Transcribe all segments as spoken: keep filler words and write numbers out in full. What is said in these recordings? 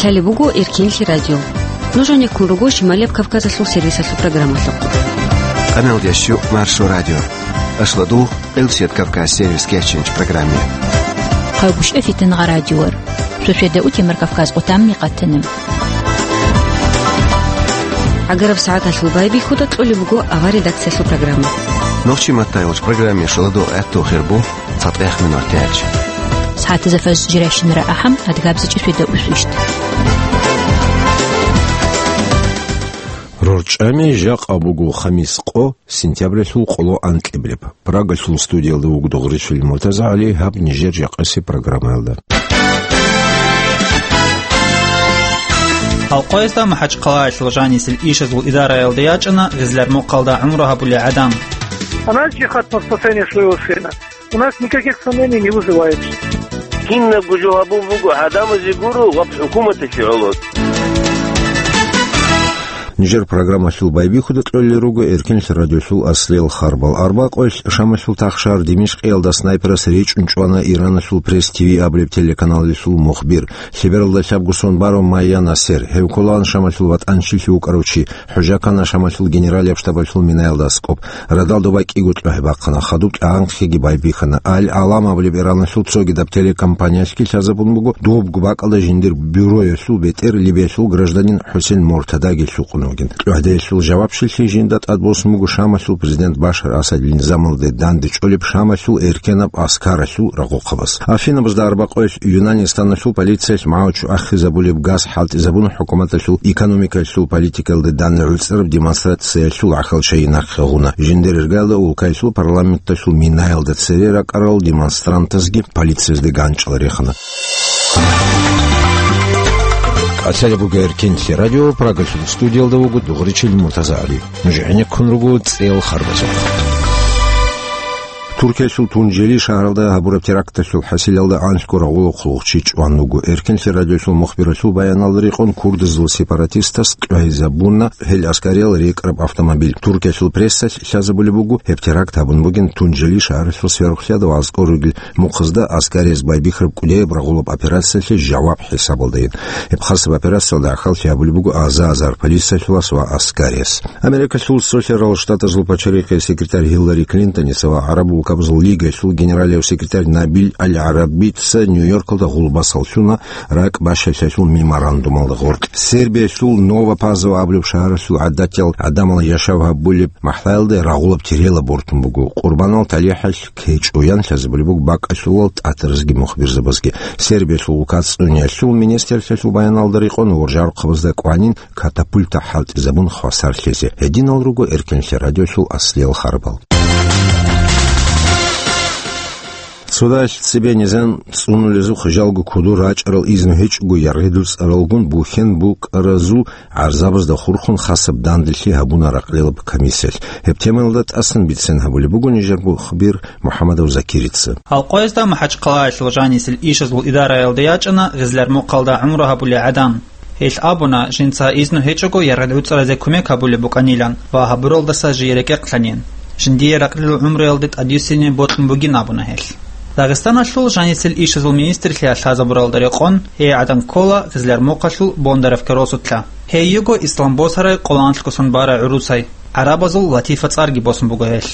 Гьале буго Эркенлъи радио. Нуж гьанеккун руго Шималияб Кавказалъул сервисалъул программалъухъ. Къамел ящу Маршо радио. Ашладу, Элсет Кавказ сервис кеченч программе. Хъайгушев Фитнагъа радиор. Шошеда утемар Кавказ къутамни къатанем. Агараб сагӀаталъул байбихьуда кьолеб буго авар редакциялъул программа. Нохчи маттайилч программе шаладу гӀатту хирбу. ЦатӀех минутач. СагӀатазда фаз жирайщинара ахӀам, адгабзичӀи фида усвищт. РорчӀами жакъа буго хамис къо, сентябралъул къоло анкьиблеб. Прагалъул студиялда вугода Гъришвили МуртазагӀали, гьаб нижер жакъаси программаялда. Алкъоязда МахӀачхъалаялъул жанисел ишазул идараялда ячӀана гъизлар мухъалда гӀумру гьабулел гӀадан. Она жихад по спасению своего сына. У нас никаких сомнений не вызывает. Кинабго жо гьабун буго гӀадамазе гуро ва хӀукуматалъе гӀоло. Нижер программалъул байбихьуда кьолел руго Эркенлъи радиолъул аслиял харбал. Арбакъоялъ Шамалъул тахшар Димишкъиялда снайперас речӀун чӀвана Ираналъул Пресс ТВ абулеб телеканалалъул мухбир. Лъебералда лъабго сон барав Майя Насер. Гьев кколаан Шамалъул ватӀанчилъи вукӀарав чи. ХӀужа ккана Шамалъул генералияб штабалъул минаялда аскӀоб. Радалда вай кӀиго кьвагьи бахъана, хадуб кьагӀанхъеги байбихьана. Аль-Алам абулеб Ираналъул цогидаб телекомпаниялъги лъазабун буго, дубгу бакӀалда жиндир бюроялъул бетӀер Либиялъул гражданин ХӀусен Муртадаги лъукъун вугин. Кьвагьдаялъул жавабчилъи жинда тӀадбосун буго Шамалъул президент Башар Асадил низамалде дандечӀолеб Шамалъул эркенаб аскаралъул рагъухъабаз. Афинабазда арбакъоялъ Юнанистаналъул полициялъ магӀучу ахизабулеб газ хӀалтӀизабуна хӀукуматалъул экономикалъул политикалде данде гӀуцӀараб демонстрациялъул гӀахьал чайи нахъе гъуна. Жиндир иргалда улкаялъул парламенталъул минаялда цере ракӀарал демонстрантазги полициязде ганчӀал рехана. КӀалъалеб буго Эркенлъи радио, Прагалъул студиялда вуго Дугъричил МуртазагӀали. Нуж гӀенеккун руго цӀел харбазухъ. Туркиялъул Тунжели шагьаралда гьабураб теракталъул хӀасилалда анлъго рагъула хъулухъчи чӀван вуго. Эркенлъи радиолъул мухбиралъул баяналда рекъон курдазул сепаратистас кьвагьизабуна гьел аскариял рекӀараб автомобиль. Туркиялъул прессалъ лъазабулеб буго, гьеб теракт гьабун бугин Тунжели шагьаралъул сверухълъиялда ва аскӀор ругел мухъазда аскарияз байбихьараб кӀудияб рагъулаб операциялъе жаваб хӀисабалдайин. Гьеб хасаб операциялда ахӀаллъи гьабулеб буго аза-азар полициялъулас ва аскарияс. Америкалъул Цолъарал Штатазул пачарихъе секретарь Гьиллари Клинтоница ва ГӀараб улкабазул Лигаялъул генералияв секретарь Набил Аль-ГӀарабица Нью-Йоркалда гъулбасал лъуна ракӀ бащалъалъул меморандумалда гъоркь. Сербиялъул Нова Пазова абулеб шагьаралъул гӀадатиял гӀадамал яшав гьабулеб махӀалда рагъулаб терела бортун буго. Къурбанал талихӀалъ кечӀоян лъазабулеб буго бакӀалъулал тӀатаразги мухбирзабазги. Сербиялъул улка цӀуниялъул министрлъиялъул баяналда рекъон, воржарухъабазда кӀванин катапульта хӀалтӀизабун хвасарлъизе. Гьединал руго Эркенлъи радиолъул аслиял харбал. Цодаялъ цебе низам цӀунулезухъ жалго кодор рачӀарал изну гьечӀого яргъи дуцӀаралгун бухьен букӀаразул гӀарзабазда хурхун хасаб данделъи гьабуна ракълилаб комиссиялъ. Гьеб темаялда тӀасан бицен гьабулеб буго нижер мухбир МухӀаммадов Закирица. Алкъоязда МахӀачхъалаялъул жанисел ишазул идараялда ячӀана гъизлар мухъалда гӀумру гьабулел гӀадан. Гьелъ абуна, жинца изну гьечӀого яргъи дуцӀаразе кумек гьабулеб букӀанилан ва гьабуралдаса жий рекӀехълъанин. Жиндие ракълил гӀумруялде тӀадвиссине бокьун бугин абуна гьелъ. Дагъистаналъул жанисел ишазул министрлъиялъ лъазабуралда рекъон, гьей гӀадан ккола гъизлар мухъалъул Бондаровка росулъа. Гьей йиго ислам босарай къоло анлъго сон барай гӀурусай, гӀарабазул Латифа цӀарги босун буго гьелъ.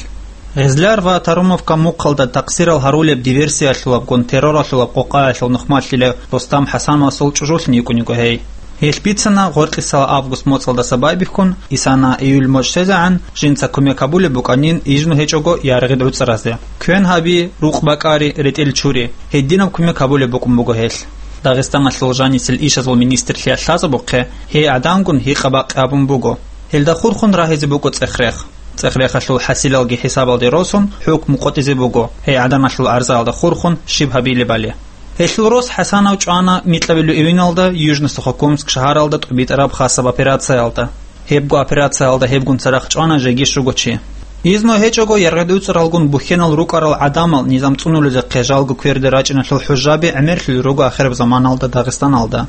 Гъизлар ва Тарумовка мухъалда такъсирал гьарулеб диверсиялъулабгун терроралъулаб къокъаялъул нухмалъила Рустам ХӀасановасул чӀужулъин йикӀун йиго гьей. Гьелъ бицана гъоркьисала август моцӀалдаса байбихьун, исана июль моцӀ щвезегӀан, жинца кумек гьабулеб букӀанин изну гьечӀого яргъи дуцӀаразе. Квен гьаби, рукъ бакӀари, ретӀел чури, гьединаб кумек гьабулеб букӀун буго гьелъ. Дагъистаналъул жанисел ишазул министрлъиялъ лъазабухъе, гьей гӀадангун гьикъа-бакъи гьабун буго. Гьелда хурхун рагьизе буго цӀех-рех. ЦӀех-рехалъул хӀасилалги хӀисабалде росун, хӀукму къотӀизе буго, гьей гӀаданалъул гӀарзаялда хурхун щиб гьабилебали. Гьелъул рос ХӀасанов чӀвана микьабилеб июналда Южно-Сухокумск шагьаралда тӀубитӀараб хасаб операциялда. Гьебго операциялда гьебгун цадахъ чӀвана жеги щуго чи. Изну гьечӀого яргъи дуцӀаралгун бухьенал рукӀарал гӀадамал низам цӀунулезехъе жалго кверде рачӀиналъул хӀужаби гӀемерлъулел руго ахираб заманалда Дагъистаналда.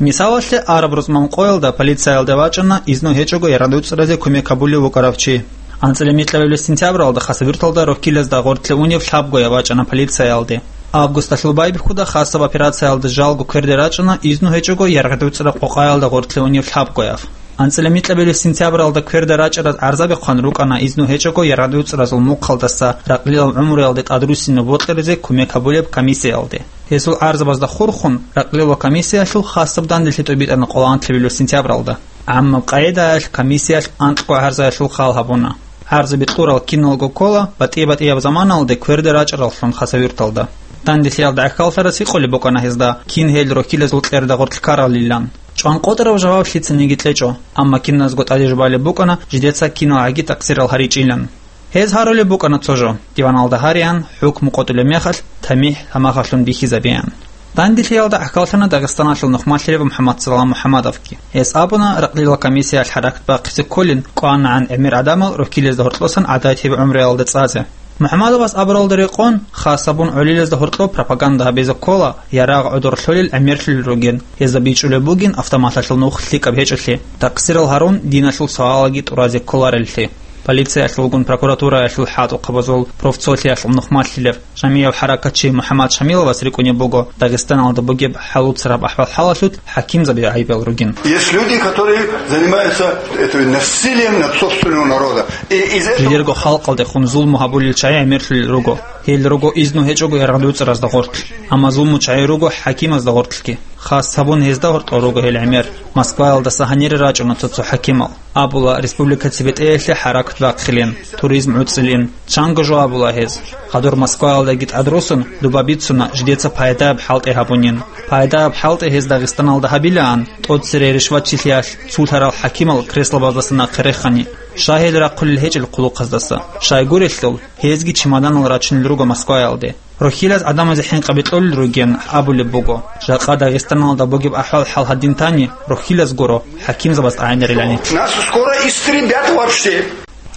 Мисалалъе, араб рузман къоялда полициялда вачӀана изну гьечӀого яргъи дуцӀаразе кумек гьабулев вукӀарав чи. АнцӀила микьабилеб сентябралда Хасавюрталда роккилазда гъоркье унев лъабгояб вачӀана полициялде. Августалъул байбихьуда хасаб операциялда жалго кверде рачӀана изну гьечӀого яргъи-дуцӀра къокъаялда гъортлъи унев лъабгояв. АнцӀила микьабилеб сентябралда кверде рачӀараз гӀарзаби хъван рукӀана изну гьечӀого яргъи-дуцӀразул мухъалдаса ракълилал гӀумруялде тӀадруссинаб бокьаризе кумек гьабулеб комиссиялде. Гьесул гӀарзабазда хурхун, ракълилал комиссиялъул хасаб данделъи тӀобитӀана къоло анлъабилеб сентябралда. ГӀаммаб къагӀидаялъ комиссиялъ анкьго гӀарзаялъул хал гьабуна. ГӀарзаби кьурал киналго ккола батӀи-батӀияб заманалде кверде рачӀараллъун хасавюрталда. Данделъиялда гӀахьаллъарас гьикъулеб букӀана гьезда, кин гьел рохьилазул кьерда гъоркь ккаралилан. ЧӀванкъотӀараб жаваб лъицаниги кьечӀо, амма киназго тӀаде жубалеб букӀана жидеца киналгӀаги такъсирал гьаричӀилан. Гьез гьарулеб букӀана цо жо, диваналда гьареян, хӀукму къотӀулеб мехалъ, тамихӀ гьамахалъун бихьизабеян. Данделъиялда гӀахьаллъана Дагъистаналъул нухмалъилев МухӀаммадсалам МухӀаммадовги. Гьес абуна, ракълилал комиссиялъ хӀаракат бахъизе кколин, кӀванагӀан гӀемер гӀадамал рохьилазда гьоркьосан гӀадатияб гӀумруялда цӀазе. МухӀаммадовас абуралда рекъон, хасабун гӀолилазда гьоркьоб пропаганда гьабизе ккола, ярагъ гӀодор лъолел гӀемерлъулел ругин, гьезда бичӀчӀулеб бугин автоматалъул нух лъикӀаб гьечӀолъи, такъсирал гьарун диналъул суалаги тӀуразе кколареллъи. Полициялъулгун прокуратураялъул хӀатӀухъабазул профцолъиялъул нухмалъилев, жамияб хӀаракатчи МухӀаммад Шамиловас рикӀкӀунеб буго, Дагъистаналда бугеб хӀалуцараб ахӀвал-хӀалалъулъ хӀакимзаби гӀайибал ругин. Есть люди, которые занимаются это насилием над собственного народа. И из этого Жидерго халкъалдехун зулму гьабулел чагӀи гӀемерлъулел руго. Гьел руго изну гьечӀого яргъи-дуцӀразда гъоркь. Амма зулму чагӀи руго хӀакимазда гъоркьги. Хас гьабун гьезда гьоркьор руго гьел гӀемер. Москваялдаса гьанире рачӀуна цо-цо хӀакимал. Абула, республика цебетӀеялъе хӀаракат бахъилин, туризм гӀуцӀилин. Чанго жо абула гьез. Хадур Москваялдаги тӀадросун, дуба бицуна, жидеца пайдаяб хӀалтӀи гьабунин. Пайдаяб хӀалтӀи гьез Дагъистаналда гьабилаан, тӀоцере ришватчилъиялъ цулъарал хӀакимал креслобаздаса нахъе рехани. Щай гьел рахъулел гьечӀел хъулухъаздаса? Щай гурелъул, гьезги чемоданал рачунел руго Москваялде. Рохьилаз гӀадамазе хӀинкъаби кьолел ругин абулеб буго. Жакъа Дагъистаналда бугеб ахӀвал-хӀал гьадин тани, рохьилаз гуро, хӀакимзабаз тӀагӀинарилани. Нас скоро истребят вообще.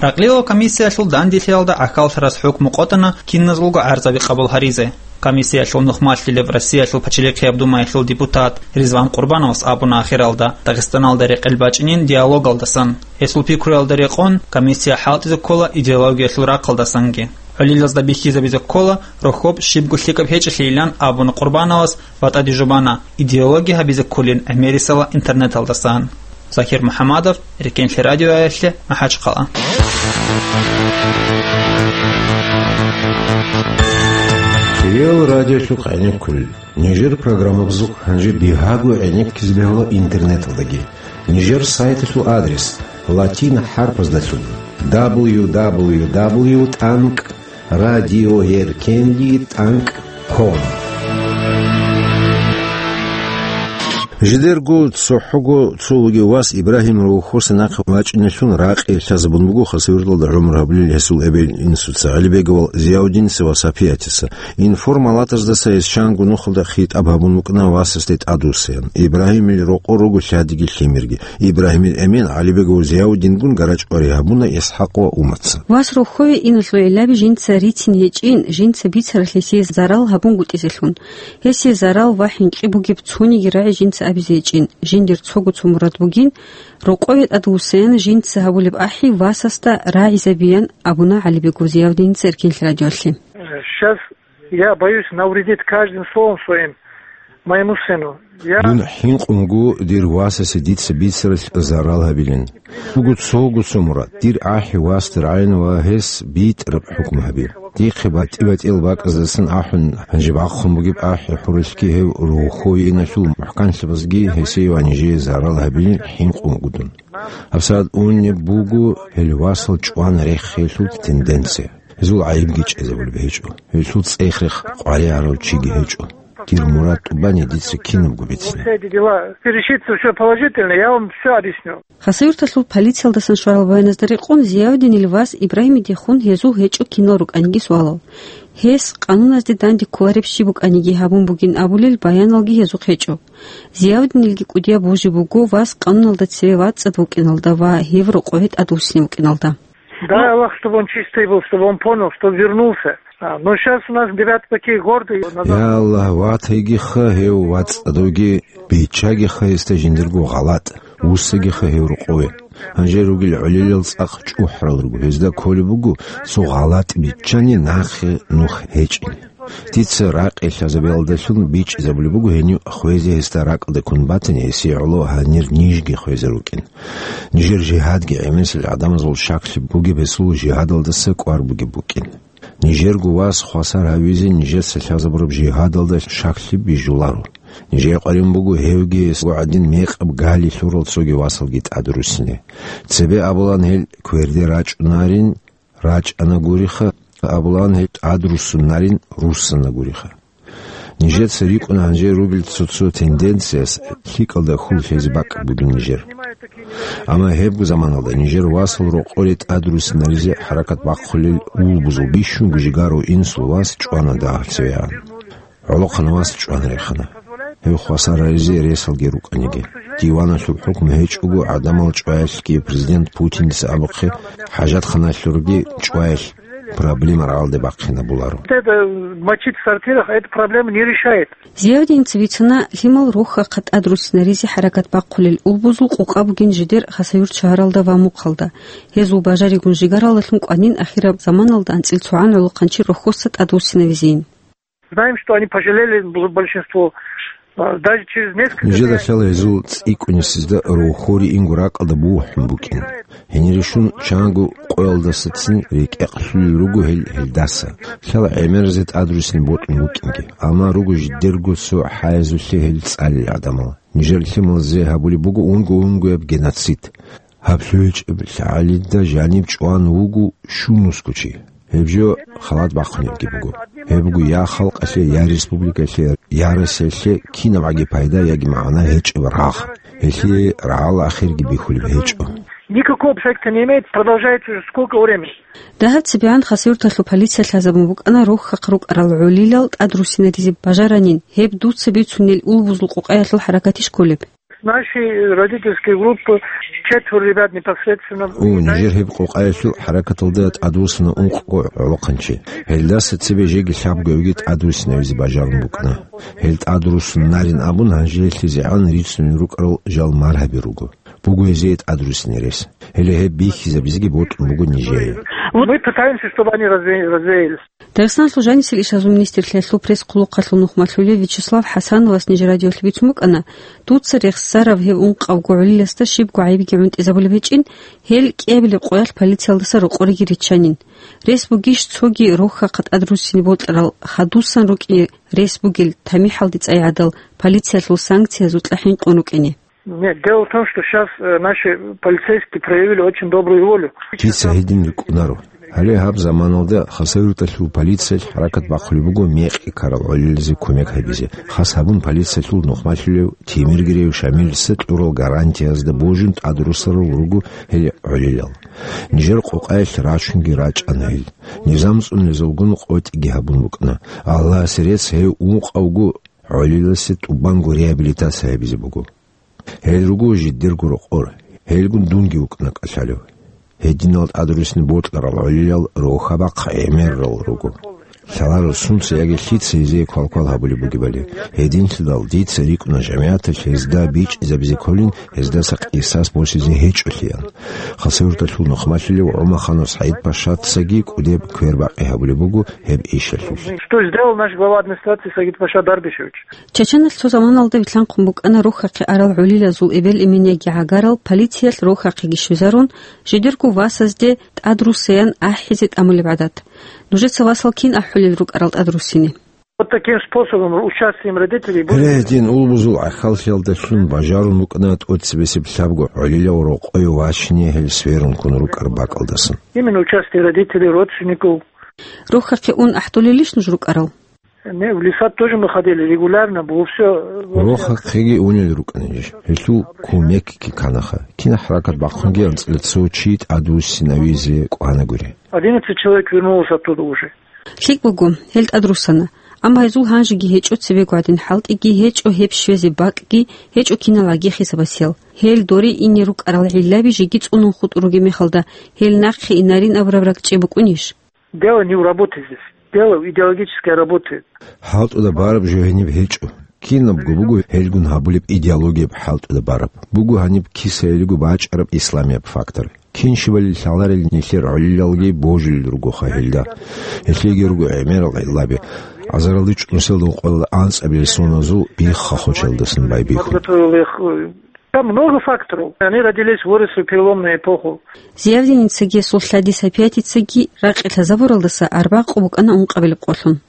Ракълилал комиссиялъул данделъиялда гӀахьаллъарас хӀукму къотӀана киназулго гӀарзаби къабул гьаризе. Комиссиялъул нухмалъилев Россиялъул Пачалихъияб Думаялъул депутат Ризван Къурбановас абуна ахиралда, Дагъистаналда рекъел бачӀинин диалогалдасан. Гьесул пикруялда рекъон, комиссия хӀалтӀизе ккола идеологиялъул рахъалдасанги. ГӀолилазда бихьизабизе ккола, рохьоб щибго лъикӀаб гьечӀелъийилан абуна Къурбановас ва тӀаде жубана, идеология гьабизе кколин гӀемерисела интернеталдасан. Захир МухӀаммадов, Рекенлъи радиоялъе, МахӀачхъала. Кирил радиолъухъ гӀенеккулел. Нижер программабазухъ гьанже бигьаго гӀенеккизе бегьула интернеталдаги. Нижер сайталъул адрес латин хӀарпаздалъун: дабл ю дабл ю дабл ю тӀанкӀ радиоеркенлъи тӀанкӀ ком. Жидерго цохӀого цо вугев вас Ибрагьим Рохоса нахъе вачӀиналъун ракъи лъазабун буго Хасавюрталда гӀумру гьабулел гьесул эбел-инсуца, ГӀалибегов Зияудиница ва Сапиятица. Информалатаздаса гьес чанго нухалда хитӀаб гьабун вукӀана васасде тӀадвуссаян. Ибрагьимил рокъор руго лъадиги лъимерги. Ибрагьимил эмен ГӀалибегов Зияудингун гарачӀвари гьабуна ИсхӀакъ ва Умаца. Вас рохьое иналъул гӀиллаби жинца рицин гьечӀин, жинца бицаралъе гьесие зарал гьабунгутӀизелъун. Гьесие зарал ва хӀинкъи бугеб цониги рагӀи жинца абизе гьечӀин, жиндир цого цо мурад бугин, рокъове тӀадвуссаян жинца гьабулеб ахӀи васасда рагӀизабиян абуна ГӀалибегов Зияудиница Рекенлъи радиоялъе. Сейчас я боюсь навредить каждым словом своим моему сыну. Я Дун хӀинкъун вуго дир васасе дица бицаралъ зарал гьабилин. Буго цого цо мурад, дир ахӀи васде рагӀина ва гьес битӀараб хӀукму гьабе. Дихъе батӀи-батӀиял бакӀаздасан ахӀун, гьанже бахъун бугеб ахӀи хӀуралъги гьев рохьое иналъул мухӀканлъабазги гьесие ва нижее зарал гьабилин хӀинкъун вуго дун. ГьабсагӀат унеб буго гьел васал чӀван рехиялъул тенденция. Гьезул гӀайибги чӀезабулеб гьечӀо. Гьелъул цӀех-рех къваригӀарав чиги гьечӀо. Дир мурад тӀубани дица кинабго бицина. Все эти дела, решится всё положительно, я вам всё объясню. Хасавюрталъул полициялдасан щварал баяназда рекъон, Зияудинил вас Ибрагьимидехун гьезул гьечӀо кинал рукӀаниги суалал. Гьес къануназде данде кколареб щиб букӀаниги гьабун бугин абулел баяналги гьезухъ гьечӀо. Зияудинилги кӀудияб божи буго вас къануналда цеве вацӀцӀад вукӀиналда ва гьев рокъове тӀадвуссине вукӀиналда. Дай Аллах, чтобы он чистый был, чтобы он понял, чтобы вернулся. А, но щас у нас ребята такие гордые. Я Аллагь, ватайгиха гьев вацӀцӀадавги, биччагиха гьесда жиндирго гъалатӀ, вуссагиха гьев рокъове. Гьанже ругел гӀолилал цӀакъ чӀухӀарал руго, гьезда кколеб буго цо гъалатӀ биччани нахъе нух гьечӀин. Дица ракъи лъазабиялдалъун бичӀчӀизабулеб буго гьенив хвезе гьесда ракӀалде ккун батани, гьесие гӀоло гьанир нижги хвезар рукӀин. Нижер жигьадги гӀемерисел гӀадамазул щаклъи бугеб гьесул жигьадалдаса кӀвар бугеб букӀин. Нижерго вас хвасар гьавизе нижеца лъазабураб жигьадалда щаклъи бижуларо. Нижее къваригӀун буго гьевги гьесго гӀадин мекъаб гали лъурал цоги васалги тӀадруссине. Цебе абулан гьел кверде рачӀунарин, рачӀана гуриха, абулан гьел тӀадруссунарин, руссана гуриха. Нижеца рикӀкӀуна гьанже ругел цо-цо тенденцияс лъикӀалда хьул лъезе бакӀ бугин нижер. Амма гьебго заманалда нижер васал рокъоре тӀадруссинаризе хӀаракат бахъулел улбузул бищунго жигарав инсул вас чӀвана дагьаб цевегӀан. ГӀолохъанав вас чӀван рехана. Гьев хвасар гьаризе ресалги рукӀаниги. Диваналъул хӀукму гьечӀого гӀадамал чӀваялъги президент Путиндаса абухъе, хӀажатханалъурги чӀваялъ проблема рагӀалде бахъинабуларо. Это мочить в сортирах, эта проблема не решает. Зиявдинца бицана лъимал рохьахъа тӀадруссинаризе хӀаракат бахъулел улбузул къокъа бугин жидер Хасавюрт шагьаралда ва Мухъалда. Гьезул бажаригун жигаралдалъун кӀванин ахираб заманалда анцӀил цогӀан гӀолохъанчи рохьоса тӀадвуссинавизейин. Знаем, что они пожалели бл-, большинство. А, даже через несколько Нижеда дней лъала гьезул цӀикӀкӀунесезда рохьори инго ракӀалда бухӀун букӀин. Гьенирищун чанго къоялдасацин рекӀекълъулел руго гьел гьелдаса. Лъала гӀемеразе тӀадруссине бокьун букӀинги. Амма руго жидерго цо хӀаязулъе гьел цӀалел гӀадамал. Нижер лъималазе гьабулеб буго унго-унгояб геноцид. Гьаб лъугьичӀеб лъагӀалида жаниб чӀван вуго щунусго чи. Гьеб жо халат бахъунебги буго. Гьеб буго я халкъалъе, я республикалъе, я Россиялъе кинабгӀаги пайда яги магӀна гьечӀеб рагъ. Гьелъие рагӀал ахирги бихьулеб гьечӀо. Никакого эффекта не имеет, продолжается уже сколько времени. Дагьаб цебегӀан Хасавюрталъул полиция лъазабун букӀана рохьахъ рукӀарал гӀолилал тӀадруссинаризе бажаранин, гьеб дуца бицунел улбузул къокъаялъул хӀаракатищ кколеб? С нашей родительской группы четверо ребят непосредственно. О, нижер гьеб къокъаялъул хӀаракаталда тӀадвуссана ункъго гӀолохъанчи. Гьелдаса цебе жеги лъабгоябги тӀадвуссинавизе бажарун букӀана. Гьел тӀадруссунарин абун, гьанжелъизегӀан рицунел рукӀарал жал маргьаби руго. Буго гьезие тӀадруссине рес. Гьеле гьеб бихьизабизеги бокьун буго нижее. Мы пытаемся, чтобы они разве-, развеялись. Дагъистаналъул жанисел ишазул министрлъиялъул пресс-хъулухъалъул нухмалъулев Вячеслав ХӀасановас нижер радиолъе бицун букӀана, дуца рехсарав гьев ункъавго гӀолиласда щибго гӀайибги гӀунтӀизабулеб гьечӀин, гьел кӀиабилеб къоялъ полициялдаса рокъориги риччанин. Рес бугищ цоги рохьахъа тӀадруссине бокьарал, хадусан рукӀине рес бугел, тамихӀалде цӀай гӀадал, полициялъул санкциязул кьа хӀинкъун рукӀине? Нет, дело в том, что щас, э, наши полицейские проявили очень добрую волю. Дица гьедин рикӀкӀунаро. Гьале гьаб заманалда Хасавюрталъул полициялъ хӀаракат бахъулеб буго мекъи ккарал гӀолилазе кумек гьабизе. Хас гьабун полициялъул нухмалъулев Темиргиреев Шамилица кьурал гарантиязда божун тӀадруссарал руго гьел гӀолилал. Нижер къокъаялъ рачунги рачӀана гьел. Низам цӀунулезулгун къотӀиги гьабун букӀана. Аллагьасе рецц, гьев ункъавго гӀолиласе тӀубанго реабилитация гьабизе буго. Гьел руго жидерго рокъор, гьелгун дунги вукӀана кӀалъалев. Гьединал тӀадруссине бокьарал гӀолилал рохьа-бахъ гӀемерал руго. Лъаларо сунца яги лъица гьезие квалквал гьабулеб бугебали. Гьединлъидал дица рикӀкӀуна жамигӀаталъ гьезда бичӀчӀизабизе кколин, гьездаса къисас босизе гьечӀолъиян. Хасавюрталъул нухмалъулев ГӀумаханов СагӀид-пашацаги кӀудеб квербакъи гьабулеб буго гьеб ишалъулъ. Что сделал наш глава администрации Сагид-паша Дарбишевич? Чачаналъ цо заманалда вилълъанхъун букӀана рохьахъе арал гӀолилазул эбел-эмен яги гӀагарал полициялъ рохьахъеги щвезарун, жидерго васазде тӀадруссаян ахӀизе тӀамулеб гӀадат. Нужеца васал кин ахӀулел рукӀарал тӀадруссине? Вот таким способом, участием родителей будет. Гьедин улбузул гӀахьаллъиялдалъун бажарун букӀана тӀоцебесеб лъабго гӀолилав рокъове вачине гьел сверун ккун рукӀар бакӀалдасан. Именно участие родителей, родственников. Рохьахъе ун ахӀдолелищ нуж рукӀарал? Не, в леса тоже мы ходили регулярно, было всё. Рохьахъеги унел рукӀана ниж. Гьелъул кумекги кканаха. Кин хӀаракат бахъунги анцӀила цо чи тӀадвуссинавизе кӀванагури. Одиннадцать человек вернулось оттуда уже. ЛъикӀ буго, гьел тӀадруссана. Амма гьезул гьанжеги гьечӀо цебего гӀадин хӀалтӀиги, гьечӀо гьеб щвезе бакӀги, гьечӀо киналгӀаги хисабасиял. Гьел доре ине рукӀарал гӀиллаби жеги цӀунун хутӀун ругеб мехалда, гьел нахъе инарин абураб ракӀчӀеб букӀунищ? Дело не в работе здесь. Дело в идеологической работе. ХӀалтӀуда бараб жо гьениб гьечӀо. Кинабго буго гьелгун гьабулеб идеологияб хӀалтӀуда бараб. Буго гьаниб кисаялиго бачӀараб исламияб фактор. Кин щибали лъаларел нилъер гӀолилалги божилел ругоха гьелда. Гьелъеги руго гӀемерал гӀиллаби. Азаралде чӀунусиялда къоялда анцӀабилеб соназул бихха-хочалдасан байбихьун. Подготовил их, э, там много факторов. Они родились, выросли в переломную эпоху. Зиявдиницаги гьесул лъади Сапиятицаги ракъи лъазабуралдаса арбагъ къо букӀана ункъабилеб къолъун.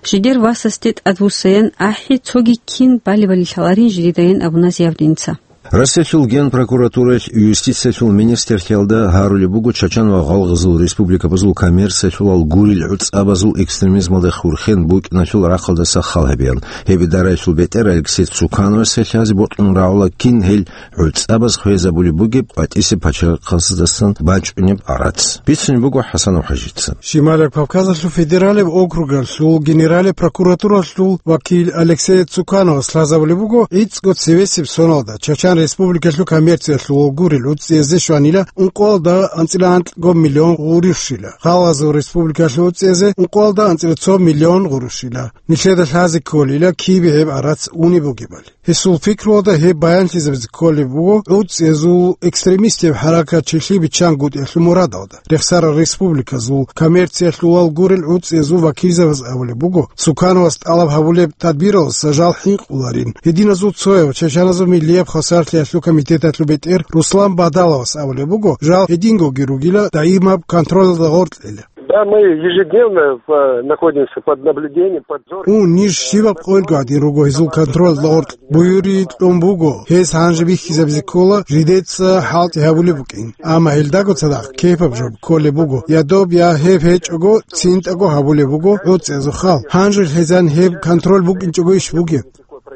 Жидер васасде тӀадвуссаян ахӀи, цоги кин балебали лъаларин жидедайин абуна Зиявдиница. Россиялъул Генпрокуратураялъ юстициялъул министрлъиялда гьарулеб буго Чачан ва ГъалгӀазул республикабазул коммерциялъулал гурел гӀуцӀабазул экстремизмалда хурхен букӀиналъул рахъалдаса хал гьабеян. Гьеб идараялъул бетӀер Алексей Цукановасе лъазе бокьун рагӀула кин гьел гӀуцӀабаз хвезабулеб бугеб къватӀисеб пачалихъаздасан бачӀунеб гӀарац. Бицунеб буго ХӀасанов ХӀажица. Щималаб Кавказалъул федералияб округалъул генералияб прокуратуралъул вакил Алексей Цукановас лъазабулеб буго гӀицӀго цевесеб соналда Чачан Республикалъул коммерциялъул гурел гӀуцӀизе щванила ункъоялда анцӀила анкьго миллион гъурущила, ГъалгӀазул Республикалъул гӀуцӀизе ункъоялда анцӀила цо миллион гъурущила. Нилъеда лъазе кколила кибе гьеб гӀарац унеб бугебали. Гьесул пикруялда гьеб баянлъизабизе кколеб буго гӀуцӀиязул экстремистияб хӀаракат чилъи биччан гутӀиялъул мурадалда. Рехсарал республиказул коммерциялъулал гурел гӀуцӀиязул вакилзабаз абулеб буго, Цукановас тӀалаб гьабулеб тадбиралдаса жал хӀинкъуларин гьединазул цояв чачаназул миллияб хвасарлъиялъул комитеталъул бетӀер Руслан Бадаловас абулеб буго, жал гьедингоги ругила, даимаб контролалда гъоркьила. Да, мы ежедневно, э, находимся под наблюдением, под зорким, э, Ун, ниж щибаб къоялго гӀадин руго гьезул контролалда гъоркь. Буюри кьун буго, гьез гьанже бихьизабизе ккола, жидеца хӀалтӀи гьабулеб букӀин. Амма гьелдаго цадахъ кепаб жо кколеб буго, я доб, я гьеб гьечӀого, цинтӀаго гьабулеб буго гӀуцӀиязул хал. Гьанже лъезан гьеб контроль букӀинчӀого иш бугеб.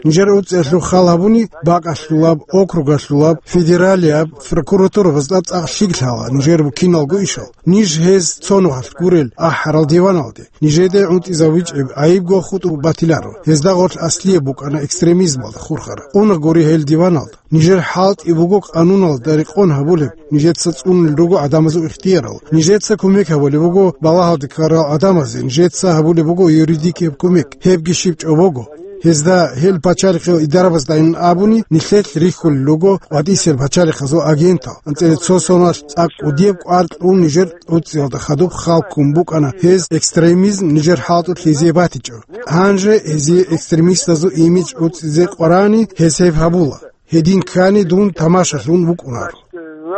Нижер гӀуцӀиялъул хал гьабуни, бакӀалъулаб, округалъулаб, федералияб прокуратурабазда цӀакъ лъикӀ лъала нижер буккиналго ишал. Ниж гьез цо нухалъ гурел ахӀарал диваналде, нижеде гӀунтӀизавичӀеб гӀайибго хутӀу батиларо. Гьезда гъорлъ аслияб букӀана экстремизмалда хурхараб. Къунагъ гури гьел диваналда. Нижер хӀалтӀи буго къануналда рекъон гьабулеб, нижеца цӀунул руго гӀадамазул ихтиярал. Нижеца кумек гьабулеб буго балагьалде ккарал гӀадамазе, нижеца гьабулеб буго юридикияб кумек. Гьебги щиб чӀобого. Гьезда гьел пачалихъе идарабаздайин абуни, нилъелъ рихьулел руго къватӀисел пачалихъазул агентал. АнцӀила цо соналъ цӀакъ кӀудияб кӀвар кьун нижер гӀуцӀиялда хадуб хал ккун букӀана гьез экстремизм нижер хӀалтӀулъ гьезие батичӀо. Гьанже гьезие экстремистазул имидж гӀуцӀизе къварани гьез гьеб гьабула. Гьедин ккани дун тамашалъун вукӀунаро.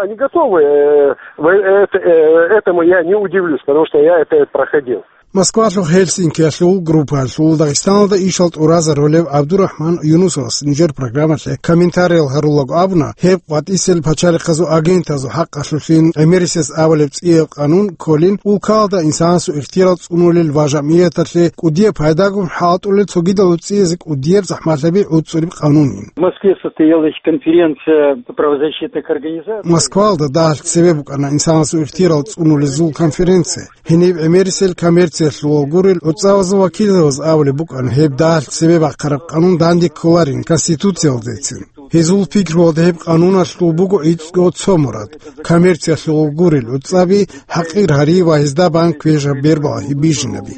Они готовы, э, в-, это, э, этому я не удивлюсь, потому что я это проходил. Москвалъул Хельсинкиялъул группаялъул Дагъистаналда ишал тӀуразарулев ГӀабдурахӀман Юнусовас нижер программалъе комментариял гьарулаго абуна, гьеб къватӀисел пачалихъазул агентазул хӀакъалъулъин гӀемерисез авалеб цӀияб къанун кколин, улкалда инсанасул ихтияр цӀунулел ва жамгӀияталъе кӀудияб пайдагун хӀалтӀулел цогидал гӀуцӀизе кӀудияб захӀмалъаби гӀуцӀулеб къанунин. В Москве состоялась конференция правозащитных организаций. Москвалда дагьалъ цебе букӀана инсанасул ихтияр цӀунулезул конференция. Гьениб гӀемерисел коммерциялъул гурел гӀуцӀавазул вакилзабаз абулеб букӀана, гьеб дагьалъ цебе бахъараб къанун данде кколарин Конституциялдецин. Гьезул пикруялда гьеб къануналъул буго гӀицӀго цо мурад: коммерциялъул гурел гӀуцӀаби хӀакъир гьари ва гьезда бан квешаб бербалъи бижинаби.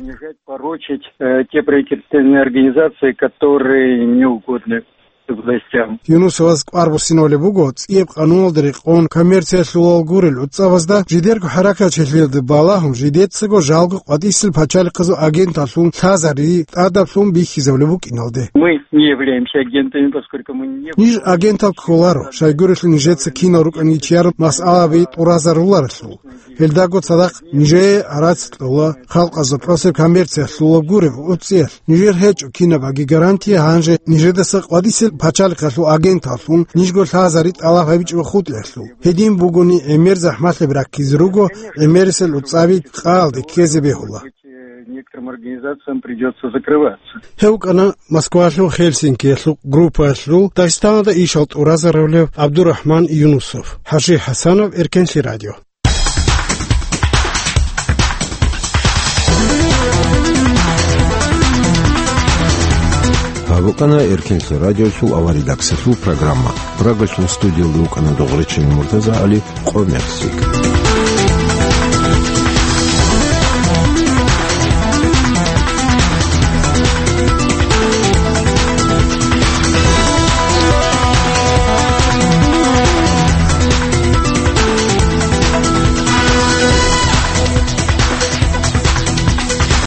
Порочить, э, те правительственные организации, которые не угодны властям. Юнусоваз кӀвар буссинавулеб буго, цӀияб къануналда рекъон коммерциялъулал гурел гӀуцӀабазда жидерго хӀаракатчилъиялда балагьун, жидецаго жалго къватӀисел пачалихъазул агенталлъун лъазари тӀадаблъун бихьизабулеб букӀиналде. Мы не являемся агентами, поскольку мы не... Ниж агентал кколаро, щайгурелъул нижеца кинал рукӀанги чияр масъалаби тӀуразаруларелъул. Гьелдаго цадахъ нижее гӀарац кьола халкъазул тӀосеб коммерциялъулаб гуреб гӀуцӀиялъ. Нижер гьечӀо кинабаги гарантия гьанже нижедаса къватӀисел пачалихъалъул агенталлъун нижго лъазари тӀалаб гьабичӀого хутӀиялъул. Гьедин бугони, гӀемер захӀмалъаби раккизе руго, гӀемерисел гӀуцӀаби къаялде ккезе бегьула. Некоторым организациям придётся закрываться. Гьев вукӀана Москвалъул Хельсинкиялъул группаялъул Дагъистаналда ишал тӀуразарулев ГӀабдурахӀман Юнусов. ХӀажи ХӀасанов, Эркенлъи радио. Гьаб букӀана Эркенлъи радиолъул аваридаксалъул программа. Прагалъул студиялда вукӀана Догъричилан МуртазагӀали. Къо-, мерси.